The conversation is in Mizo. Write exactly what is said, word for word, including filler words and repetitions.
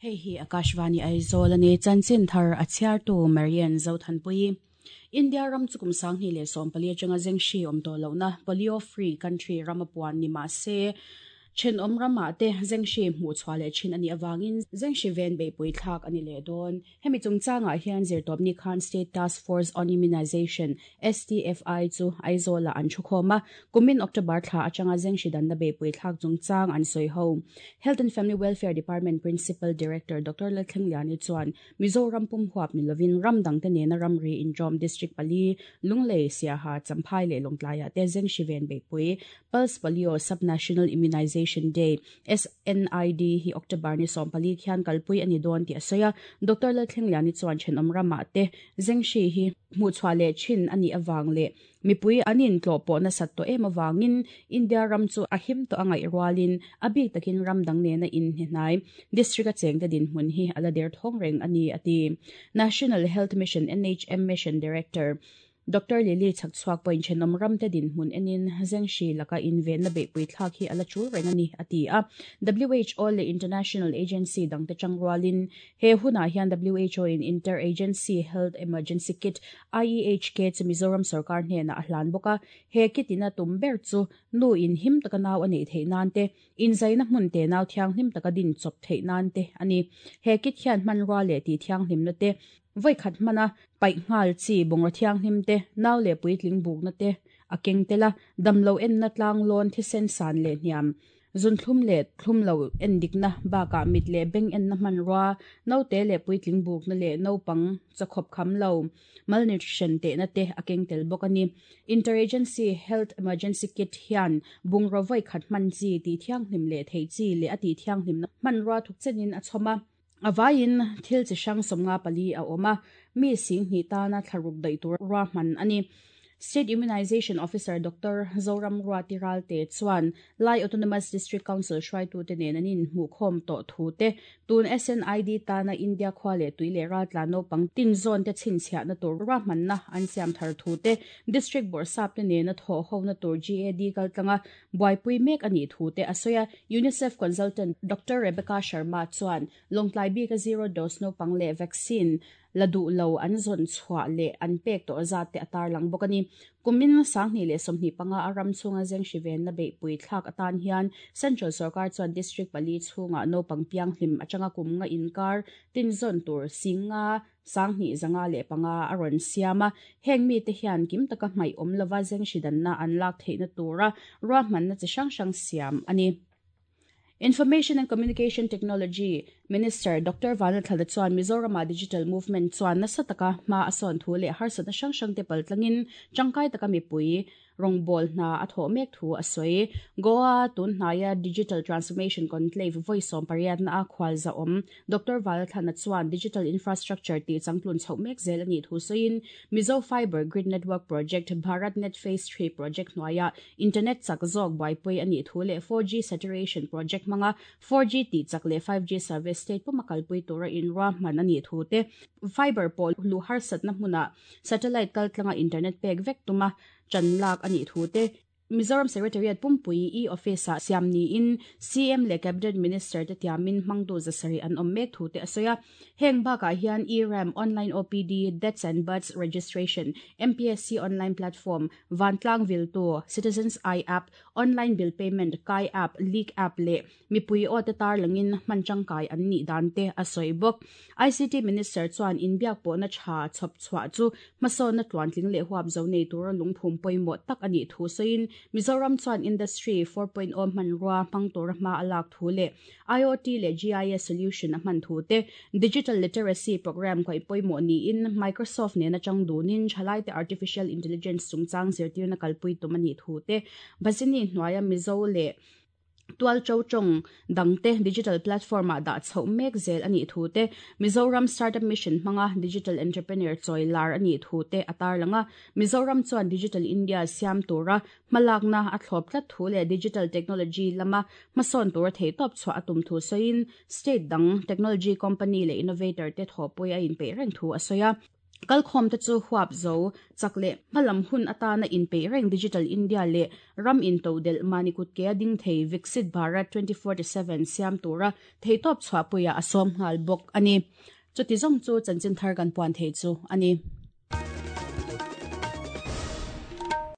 Hei hi Akashvani Aizawl ani chanchin thar a chhiartu Marian Zothanpui. India ram chukum sangni leh sawmpali atanga zengshi awm tawh lohna polio free country rama puan ni mah se then awm ramah te zengshi hmuh chhuah leh thin ani awangin zengshi ven beihpui thlak ani leh dawn. Hemi chungchangah hian zirtawpni khan State Task Force on Immunization S T F I chu Aizawl ah an thu khawm a, kumin October thla atanga zengshi danna beihpui thlak chungchang an sawi ho. Health and Family Welfare Department Principal Director Doctor Lalthlengliani chuan Mizoram pum huap ni lovin ram dangte nena ramri injawm district pali Lunglei Siaha Champhai leh Lawngtlaiah te zengshi ven beihpui Pulse Polio Subnational Immunization Day S N I D hi October ni sawmpali khian kalpui ani dawn ti a sawi a. Doctor Lalthlengliani chuan thenawm ramah te zengshi hi hmuh chhuah leh thin ani awang leh mipui anin tlawh pawh nasat tawh em awangin India ram chu a him tawh a ngaih rualin a bik takin ram dang nena in hnihnai district a cheng te dinhmun hi ala der thawng reng ani ati. National Health Mission N H M Mission Director Doctor Lily Chhakchhuak pawhin thenawm ram te dinhmun enin zengshi laka invenna beihpui thlak hi ala chul reng ani ati a. W H O leh International Agency dangte changrualin he hunah hian W H O in Interagency Health Emergency Kit I E H K chu Mizoram sarkar hnena a hlan bawk a. He kit ina tum ber chu nu in him taka nau a neih theih nan te inzaina hmun te nau thianghlim taka din chawp theih nan te ani. He kit hian hmanrua leh ti thianghlimna te voi khat hmana paih nghal chi bungraw thianghlim te nau leh puitling bukna te a keng tela damlo enna tlang lawn thisen san leh hniam zunthlum leh thlum lo en dikna bakah mit leh beng enna hmanrua naute leh puitling bukna leh naupang chakhawp kham lo malnutrition tehna te a keng tel bawk ani. Interagency Health Emergency Kit hian bungraw voi khat hman chi ti thianghlim leh thei chi leh a ti thianghlimna hmanrua thuk chenin a chhawm a. Avain thil chi hrang sawmnga pali a awm a, mi sing hnih tana thlaruk daih tur rua hman ani. State Immunization Officer Doctor Zoram Ruati Ralte chuan Lai Autonomous District Council hruaitu te nen anin hmuh khawm tawh thu te tun S N I D tana India khua leh tui leh raltla naupang tin zawn te chhinchhiahna tur rua hmanna an siam thar thu te District Bawrhsap te nena thawh hona tur G A D kaltlanga buaipui mek ani thu te a sawi a. UNICEF Consultant Doctor Rebecca Sharma chuan Lawngtlai bika zero dose naupang leh vaccine la duh lo an zawn chhuah leh an pek tawh zat te a tarlang bawk ani. Kumin sanghnih leh sawmhnih panga a ram chhunga zengshi venna beihpui thlak atan hian Central Sarkar chuan District pali chhunga naupang pianghlim atanga kum nga inkar tin zawn tur singa sanghnih zanga leh panga a rawn siam a. Heng mi te hian kim taka hmaih awm lova zengshi danna an lak theihna tura rua hmanna chi hrang hrang siam ani. Information and Communication Technology Minister Doctor Vanlalthlana chuan Mizorama Digital Movement chuan nasa taka hma a sawn thu leh harsatna hrang hrang te paltlangin tangkai taka mipui rawngbâwl hna a thawh mek thu a sawi. Goa tunhnaia Digital Transformation Conclave vawi sawm pariatna a khual za awm Doctor Vanlalthlana chuan Digital Infrastructure tih changtlun chhoh mek zel ani thu sawiin Mizo Fiber Grid Network Project Bharat Net Phase three Project hnuaia Internet chak zawk buaipui ani thu leh four G Saturation Project hmanga four G tih chak leh five G service state puma kalpui tura inrua hman ani thu te fiber pawh lu harsatna hmuna satellite kaltlanga internet pek vek tuma chanlak ani thu te Mizoram Secretariat Pumpui e-office ah siam ni in C M leh Cabinet Minister te tiamin hmangtu zasari an awm mek thu te a sawi a. Heng bakah hian E-RAM Online O P D Deaths and Births Registration M P S C Online Platform Vantlang Viltu Citizens I App Online Bill Payment Kai App Leak App leh mipui aw te tar langin hman tangkai an nih dan te a sawi bawk. I C T Minister chuan inbiak pawhna tha chhawp chhuah chu hmasawnna tluantling leh huap zo nei tura lungphum pawimawh tak ani thu sawiin Mizoram chuan Industry four point oh hmanrua hmang tura hma a lak thu leh I O T leh G I S solution a hman thu te Digital Literacy Program kaih pawimawh niin Microsoft nena chang dunin thalai te Artificial Intelligence chungchang zirtirna kalpui tum ani thu te Bazini hnuaia Mizo leh tual cho chong dangte digital platform ah dah chhoh mek zel ani thu te Mizoram Startup Mission hmanga digital entrepreneur chawi lar ani thu te a tarlanga Mizoram chuan Digital India siam tura hmalakna a thlawp tlat thu leh digital technology lama hmasawn tura thei tawp chhuah a tum thu sawiin state dang technology company leh innovator te thawhpui a inpeih reng thu a sawi a. Kalkhawm te chu huap zo chak leh hmalam hun atana inpeih reng Digital India leh ram intodelh mahni kut kea ding thei Viksit Bharat twenty forty seven siam tura theihtawp chhuahpuiah a sawm nghal bawk a ni. Chuti zawng chu chanchin thar kan puan thei chu a ni.